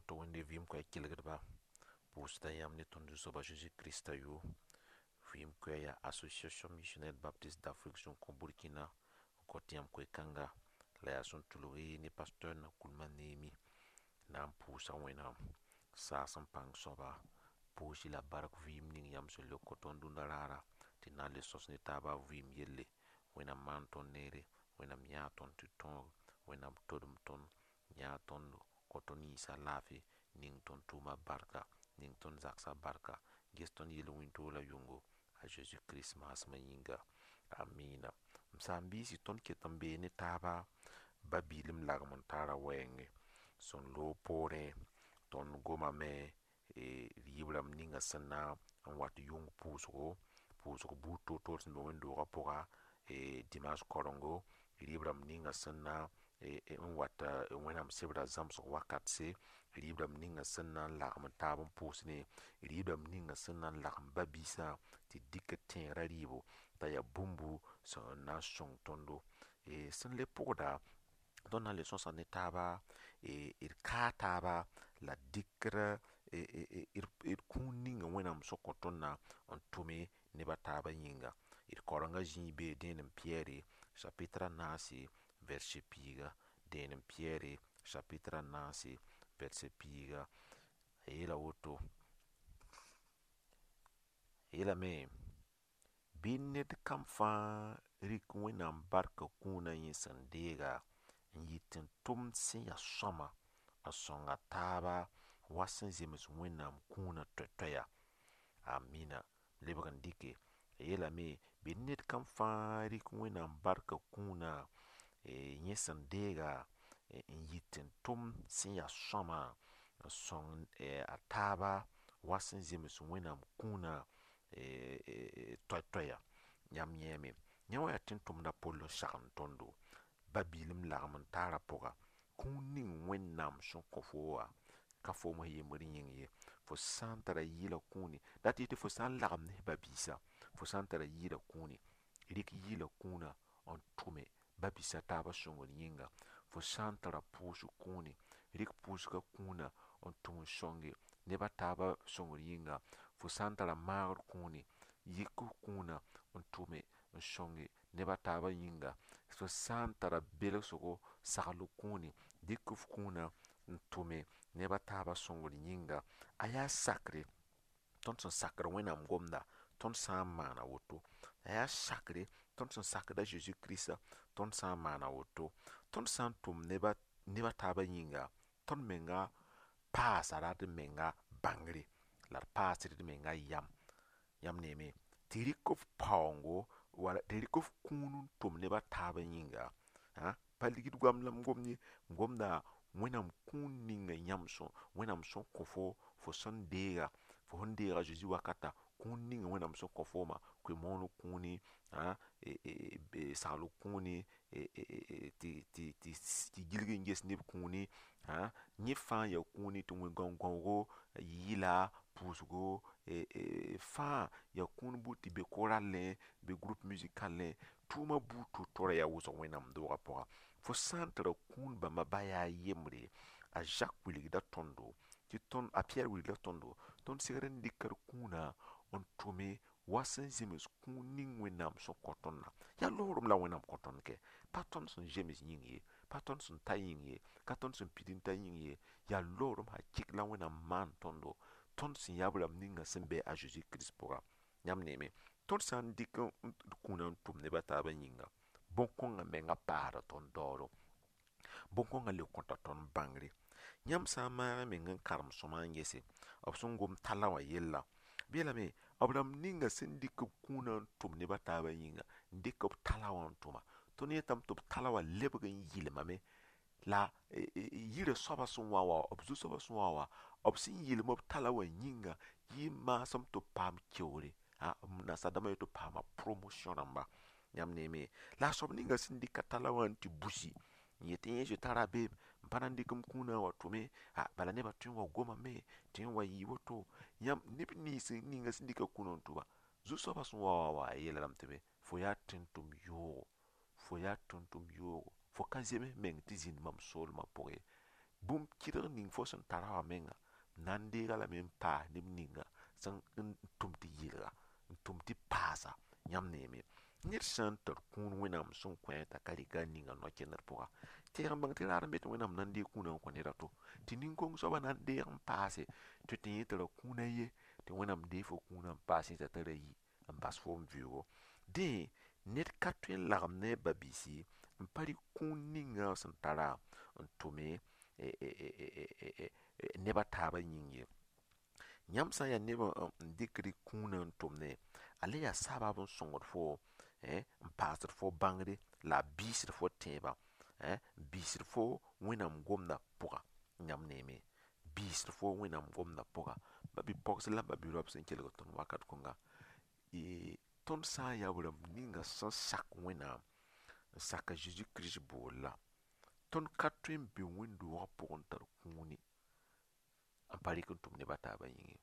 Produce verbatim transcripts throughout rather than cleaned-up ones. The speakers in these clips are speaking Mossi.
To Wẽnde vɩɩm koɛɛ kelgdba, pʋʋsda yãmb ne tõnd Zu-soaba Zeezi Krista yʋʋr. Vɩɩm koɛɛ yaa Association Missionnaire Baptiste d'Afrique sẽn kõ Burkina n kõ tɩ yãmb koe-kãnga la yaa sẽn tʋlg ne pasteur Nakoulma Neemi na n pʋʋsa Wẽnnaam saas n pãng soaba poosi la bark vɩɩm ning yãmb sẽn le kõ tõnd dũnna raara tɩ na n le sõs ne taaba vɩɩm yelle. Wẽnnaam maan tõnd neere, Wẽnnaam yãa tõnd tɩ tõog, Wẽnnaam todem tõnd, yãa tõndo, kõ tõnd yĩnsa laafɩ, ning tõnd tʋʋma barka, ning tõnd zaksa barka, ges tõnd yel-wĩntoog la yʋngo a Zeezi Kirist maasmã yĩnga. Amina. M saam-biisi, tõnd ket n bee ne taaba ba-biilem lagem n taara wɛɛngẽ. Sẽn loog poorẽ tõnd gomame rɩɩb rãmb ninga sẽn na n wat yʋng pʋʋsgo, pʋʋsg buud toor-toor sẽn be wẽnd-doogã pʋga dimanche kaorengo, rɩɩb rãmb ninga sẽn na n wat Wẽnnaam sebra zãmsg wakatse, rɩɩb rãmb ninga sẽn na n lagem taab n pʋʋsdẽ, rɩɩb rãmb ninga sẽn na n lagem ba-biisã tɩ dɩk tẽegrã rɩɩbo t'a yaa bũmbu sẽn na n sõng tõndo. Sẽn le pʋgda, tõnd na n le sõsa ne taaba d kaa taaba la dɩkd d kũun ninga Wẽnnaam sẽn kõ tõndã n tʋme neb a taabã yĩnga. D kaorengã zĩig bee dẽenem Piyɛre chapitre a naase verset piiga. Dẽenem Piyɛre chapitre a naase verset piiga. A yeela woto, a yeelame bɩ ned kam fãa rɩk Wẽnnaam barka kũunã yẽ sẽn deega n yit n tʋmd sẽn yaa sõama n sõng a taaba wa sẽn zems Wẽnnaam kũunã toɛ-toɛya. Amina. Lebg n dɩke a yeelame bɩ ned kam fãa rɩk Wẽnnaam barka kũunã yẽ sẽn deega n yit n tʋm sẽn yaa sõama n sõng a taaba wa sẽn zems Wẽnnaam kũunã toɛ-toɛya. Yãmb yẽeme yẽ wã yaa tẽn-tʋmdã pol n sagend tõndo ba-biilem lagem n taara pʋga kũun ning Wẽnnaam sẽn kõ fo wã ka foom f yembr yĩng ye. Fo sã n tara yɩɩla kũuni dat yetɩ fo sã n lagem ne ba-biisã, fo sã n tara yɩɩla kũuni, rɩk yɩɩla kũunã n tʋme ba-biisã taabã sõngr yĩnga. Fo sã n tara pʋʋsg kũuni, rɩk pʋʋsgã kũunã n tʋm n sõnge neb a taabã sõngr yĩnga. Fo sã n tara maagr kũuni, yɩk f kũunã n tʋme n sõnge neb a taabã yĩnga. Fo sã n tara belsgo sagl kũuni, dɩk f kũunã n tʋme neb a taabã sõngr yĩnga. A yaa sakre tõnd sẽn sakd Wẽnnaam gomda, tõnd sã n maana woto. A yaa sakre tõnd sẽn sakd a Zeezi Kirista, tõnd sã n maana woto. Tõnd sã n tʋm neb a taabã yĩnga, tõnd menga paasa d menga bãngre la d paasd d menga yam. Yãmb neeme tɩ rɩk f paoongo wala tɩ rɩk f kũun n tʋm neb a taabã yĩnga. Pa ligd goam la m gomd ye, m gomda Wẽnnaam kũun ninga yãmb sẽn Wẽnnaam sẽn kõ fo fo sẽn deega, fo sẽn deega Zeezi wakata, kũun ninga Wẽnnaam sẽn kõ fooma, koe-mooneg kũuni, sagl kũuni, tɩ gilg n ges neb kũuni, yẽ fãa yaa kũuni tɩ wẽ gão-gãoogo, yɩɩla, pʋʋsgo, fãa yaa kũun buud tɩ be koralẽ, be groupe musicalẽ, tʋʋma buud to-to ra yaa wʋsg Wẽnnaam doogã pʋga. Fo sã n tara kũun bãmba ba yaa yembre, a Zak wilgda tõndo tɩ tõnd a Piyɛr wilgda tõndo tõnd segd n dɩka d kũunã n tʋme wa sẽn zems kũun ning Wẽnnaam sẽn kõ tõndã. Yaa loorem la Wẽnnaam kõ tõnd kɛ. Pa tõnd sẽn zems yĩng ye, pa tõnd sẽn ta yĩng ye, ka tõnd sẽn pid n ta yĩng ye, yaa loorem hakɩk la Wẽnnaam maan tõndo, tõnd sẽn yaa b rãmb ninga sẽn be a Zeezi Kirist pʋga. Yãmb neeme, tõnd sã n dɩk d kũunã n tʋm neb a taabã yĩnga, bõn-kõngã menga paasda tõnd daooro. Bõn-kõngã le kõta tõnd bãngre. Yãmb sã n maag meng n karem sõma n gese, b sẽn gom talla wã yella, b yeelame b rãmb ninga sẽn dɩk b kũunã n tʋm neb a taabã yĩnga, n dɩk b tala wã n tʋma. Tõnd yetame tɩ b tala wã lebg n yɩlmame la yirã soabã sẽn wa wã, b zu-soabã sẽn wa wã, b sẽn yɩlem b tala wã yĩnga yɩ maasem tɩ b paam keoore. Nasaar-dãmbã yet tɩ b paama promotion rãmba. Yãmb neeme, la a soab ninga sẽn dɩka tala wã n tɩ busi n yet tɩ yẽ zoe tara beem, m pa na n dɩk m kũunã n wa tʋme, bala nebã tõe n wa gomame tɩ yẽ wa yɩ woto. Yãmb neb nins ninga sẽn dɩka kũunã n tʋma, zu-soabã sẽn wa wã wa a yeela lame tɩ be fo yaa tẽn-tʋm yoogo, fo yaa tẽn-tʋm yoogo, fo ka zems meng tɩ zĩnd mam soolmã pʋgẽ ye. Bũmb kɩdg ning fo sẽn tara wã menga na n deega lame n paas neb ninga sẽn n tʋm tɩ yelga n tʋm tɩ paasa yãmb neeme. Ned sã n tar kũun Wẽnnaam sẽn kõ t'a ka rɩk a ninga no-kẽndr pʋga, tẽeg n bãng tɩ raad n be tɩ Wẽnnaam na n deeg kũunã n kõ ned a to. Tɩ nin-kong soabã na n deeg n paase tɩ tɩ yẽ tara kũun a ye, tɩ Wẽnnaam deeg fo kũunã n paas yẽ t'a tara yi n bas foom vɩʋʋgo. Dẽ, ned ka tõe n lagem ne a ba-biisi n pa rɩk kũun ninga sẽn tara n tʋme neb a taabã yĩng ye. Yãmb sã n yaa neb n dɩkd kũunã n tʋmdẽ, a le yaa sabaab n sõngd fo n paasd fo bãngre la a biisd fo tẽebã, n biisd fo Wẽnnaam gomdã pʋga yãmb neeme. Biisd fo Wẽnnaam gomdã pʋga. Ba-bi-pogs la ba-bi-raob sẽn kelg tõnd wakat kõnga, tõnd sã n yaa b rãmb ninga sẽn sak Wẽnnaam n sak a Zeezi Kirist boolla, tõnd ka tõe n be wẽnd-doogã pʋgẽ n tar kũuni n pa rɩk n tʋm neb a taabã yĩng ye.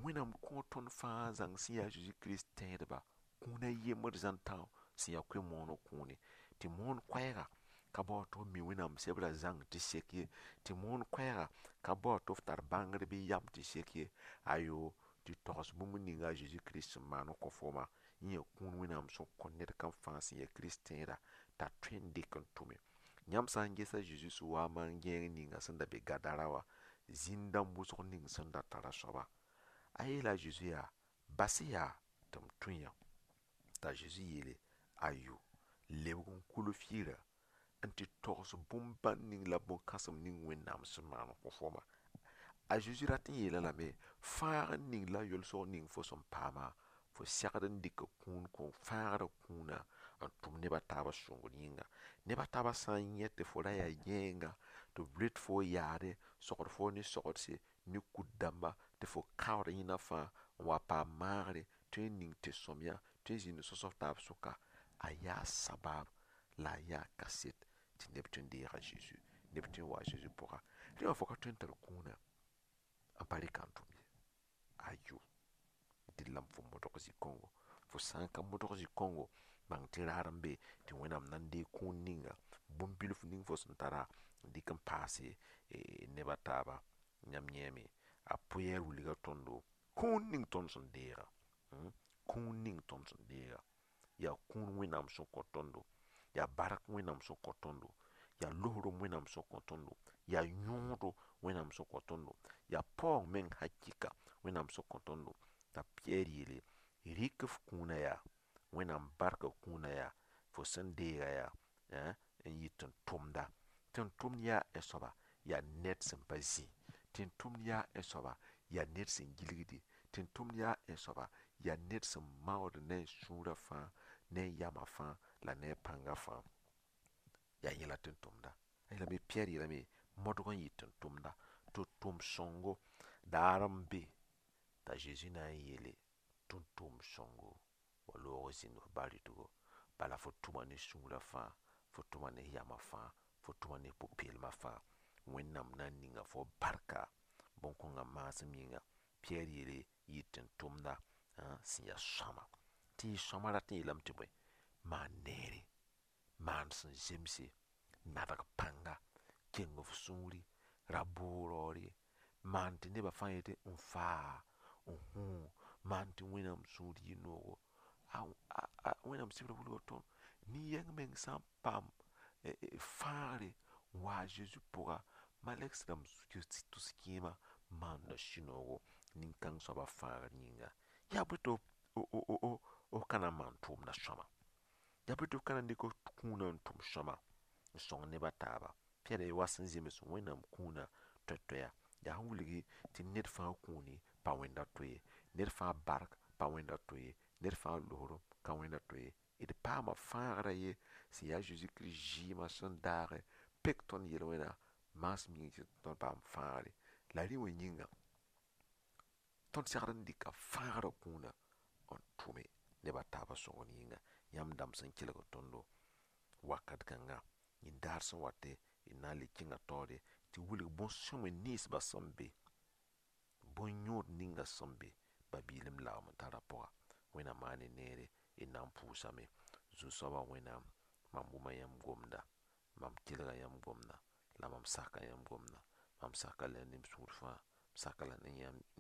Wẽnnaam kõo tõnd fãa zãng sẽn yaa a Zeezi Kirist tẽedba kũun a yembr zãn-tão sẽn yaa koe-mooneg kũuni, tɩ moon koɛɛga ka bao tɩ f mi Wẽnnaam sebrã zãng tɩ sek ye, tɩ moon koɛɛga ka bao tɩ f tar bãngr bɩ yam tɩ sek ye. Ayo, tɩ togs bũmb ninga a Zeezi Kirist sẽn maan n kõ fooma, yẽ yaa kũun Wẽnnaam sẽn kõ ned kam fãa sẽn yaa Kirist tẽeda t'a tõe n dɩk n tʋme. Yãmb sã n ges a Zeezi sẽn wa n maan gẽeg ninga sẽn da be Gadara wã, zĩn-dãmb wʋsg ning sẽn da tara soaba. A yeela a Zeezi yaa, bas yaa tɩ m tũ yã. T'a Zeezi yeele, ayo, lebg n kul f yirã n tɩ togs bũmb-bãn ning la bõn-kãsem ning Wẽnnaam sẽn maan n kõ fooma. A Zeezi rat n yeela lame, fãagr ning la yolsg ning fo sẽn paama, fo segd n dɩka kũun kõ fãagrã kũunã n tʋm neb a taabã sõngr yĩnga. Neb a taabã sã n yẽ tɩ fo ra yaa gẽenga, tɩ b ret fo yaade, sogd fo ne sogdse, ne kut dãmba, tɩ fo kaood yẽna fãa n wa paam maagre, tõe n ning tɩ-sõmyã, tõe n zĩnd n sõs f taab sʋka, a yaa sabaab la a yaa kaset tɩ neb tõe n deega Zeezi, neb tõe n wa a Zeezi pʋga. Rẽ wã fo ka tõe n tar kũunã n pa rɩka n tʋm ye. Ayo, dɩl la fo modg zĩ-kõngo. Fo sã n ka modg zĩ-kõngo, bãng tɩ raad n be tɩ Wẽnnaam na n deeg kũun ninga, bũmb bilf ning fo sẽn tara n dɩk n paase neb a taaba. Yãmb yẽeme, a Pɩyɛɛr wilga tõndo kũun ning tõnd sẽn deega. Kũun ning tõnd sẽn deega. Yaa kũun Wẽnnaam sẽn kõ tõndo, yaa bark Wẽnnaam sẽn kõ tõndo, yaa losrem Wẽnnaam sẽn kõ tõndo, yaa yõodo Wẽnnaam sẽn kõ tõndo, yaa paoong meng hakɩka Wẽnnaam sẽn kõ tõndo. T'a Pɩyɛɛr yeele, rɩk f kũunã yaa, Wẽnnaam barka kũunã yaa, fo sẽn deega yaa, n yɩ tɩ n tʋmda. Tɩ n tʋmd yaa ẽ soaba, yaa ned sẽn pa zĩ. Tɩ n tʋmd yaa ẽ soaba, yaa ned sẽn gilgde. Tɩ n tʋmd yaa ẽ soaba, yaa ned sẽn maood ne a sũurã fãa, ne a yamã fãa, la ne a pãngã fãa. Yaa yẽ la tɩ n tʋmda. A yeelame, Pɩyɛɛr yeelame, modg n yɩ tɩ n tʋmda, tɩ tʋm sõngo daar n be t'a Zeezi na n yeele tɩ n tʋm sõngo wa loog zĩnd f ba-rɩtgo. Bala fo tʋma ne sũurã fãa, fo tʋma ne yamã fãa, fo tʋma ne pʋ-peelmã fãa. Wẽnnaam na n ninga fo barka bõn-kõngã maasem yĩnga. Pɩyɛɛr yeele yɩ tɩ n tʋmda sẽn yaa sõama. Tɩ yɩ sõama rat n yeelame tɩ bõe, maan neere, maan sẽn zemse, nadg pãnga, keng f sũuri, ra boog raoor ye, maan tɩ nebã fãa yetɩ n faa, n hũ, maan tɩ Wẽnnaam sũur yɩ noogo. Wẽnnaam sebrã wilga tõnd nin-yɛng meng sã n paam fãagre n wa a Zeezi pʋga, malɛgs rãmb tʋs kẽema maanda sũ-noogo nin-kãng soabã fãagr yĩnga. Yaa bõe tɩ f ka na n maan tʋʋmdã sõama? Yaa bõe tɩ f ka na n dɩk f kũunã n tʋm sõama n sõng neb a taaba? Pɩyɛɛr wa sẽn zems Wẽnnaam kũunã toɛ-toɛya, yaa sẽn wilgi tɩ ned fãa kũuni pa wẽnda to ye, ned fãa bark pa wẽnda to ye, ned fãa losrem ka wẽnda to ye. D paama fãagrã ye sẽn yaa a Zeezi Kirist zɩɩmã sẽn daage pek tõnd yel-wẽna maasem yĩng tɩ tõnd paam fãagre. La rẽ wã yĩnga, tõnd segd n dɩka fãagrã kũunã n tʋme neb a taabã sõngr yĩnga. Yãmb dãmb sẽn kelg tõndo wakat kãnga, yĩn-daar sẽn wate d na n le kẽnga taoore tɩ wilg bõn-sõme ninsbã sẽn be, bõn-yõod ninga sẽn be ba-biilem lagem n tara pʋga. Wẽnnaam maan neere, d na n pʋʋsame. Zu-soabã Wẽnnaam, mam wʋma yãmb gomda, mam kelga yãmb gomda, la mam saka yãmb gomda. Mam saka la ne m sũur fãa, m saka la ne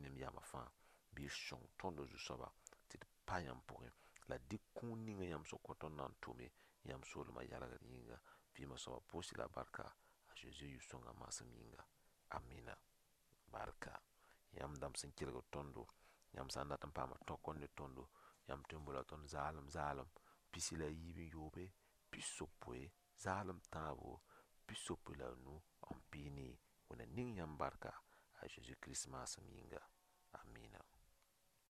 ne m yamã fãa. Bɩ y sõng tõnd Zu-soaba tɩ d pa yãmb pʋgẽ. La dɩk kũun ninga yãmb sẽn kõ tõnd na n tʋme yãmb soolmã yalgr yĩnga. Vɩɩmã soabã pʋʋs-y la barka a Zezi yʋ-sõngã maasem yĩnga. Amina. Barka. Yãmb dãmb sẽn kelgd tõndo, yãmb sã n dat n paama tõk n ne tõndo, yãmb tõe n boola tõnd zaalem zaalem pisi la yiib n yoobe, pisopoe, zaalem tãabo, pisopoe la a nu n pii nii. Wẽnna ning yãmb barka a Zezi Kirist maasem yĩnga. Amina.